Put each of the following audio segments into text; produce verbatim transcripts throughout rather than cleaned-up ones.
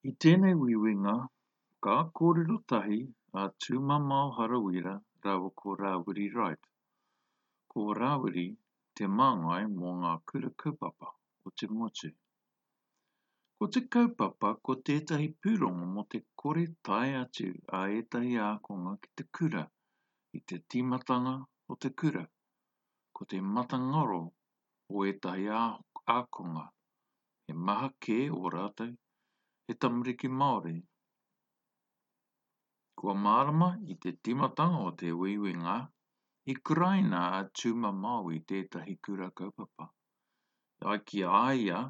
I tēnei uiuinga, ka kōrero tahi a Tūmamao Harawira rāua ko Rāwiri Wright. Ko Rāwiri te māngai mō ngā kura kaupapa o te motu. Ko te kaupapa ko tētahi pūrongo mō te kore tae atu a ētahi ākonga ki te kura i te tīmatanga o te kura, ko te matangaro o ētahi ākonga, he maha kē o rātou, he tamariki Māori. Kua mārama i te tīmatanga o te uiuinga, i kuraina a Tūmamao i tētahi kura kaupapa. E ai ki a ia,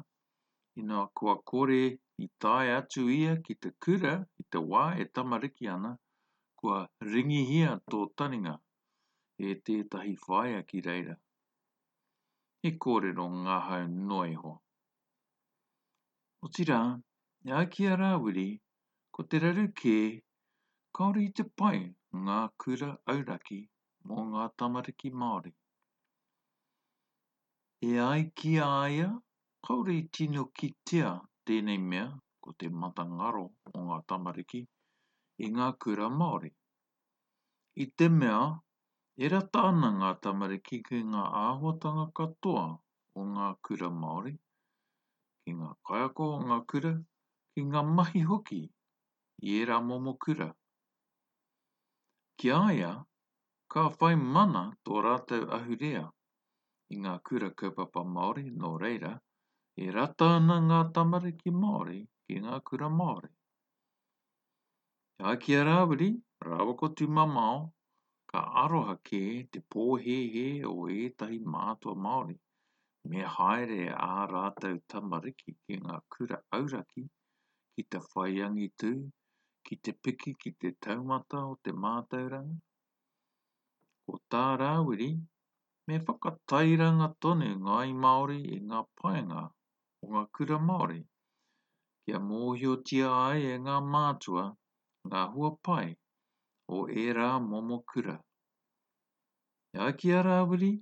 ina kua kore i tae atu ia ki te kura i te wā e tamariki ana, kua ringihia tō taringa e tētahi whaea ki reira. He kōrero ngahau noa iho. Otirā, e ai ki a Rāwiri, ko te raru kē, kāore i te pai ngā kura auraki mō ngā tamariki Māori. E ai ki a ia, kāore i tino kitea tēnei mea, ko te matangaro o ngā tamariki, i ngā kura Māori. I te mea, e rata ana ngā tamariki ki ngā āhuatanga katoa o ngā kura Māori, ki ngā kaiako o ngā kura, ki ngā mahi hoki i ērā momo kura. Ki a ia, ka whai mana tō rātou ahurea i ngā kura kaupapa Māori, nō reira, e rata ana ngā tamariki Māori ki ngā kura Māori. E ai ki a Rāwiri, rāua ko Tūmamao, ka aroha kē te pōhēhē o ētahi mātua Māori, me haere ā rātou tamariki ki ngā kura auraki ki te whai angitu, ki te piki ki te taumata o te mātauranga. Ko tā Rāwiri, me whakatairanga tonu ngāi Māori i ngā painga o ngā kura Māori, kia mōhiotia ai e ngā mātua ngā hua pai o ērā momo kura. E ai ki a Rāwiri,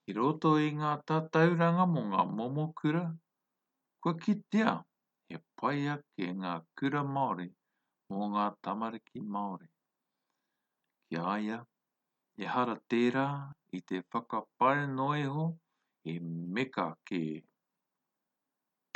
i roto i ngā tatauranga mō ngā momo kura, kua kitea he pai ake ngā kura Māori mō ngā tamariki Māori. Ki a ia, ehara tērā i te whakapae noa iho, he meka kē.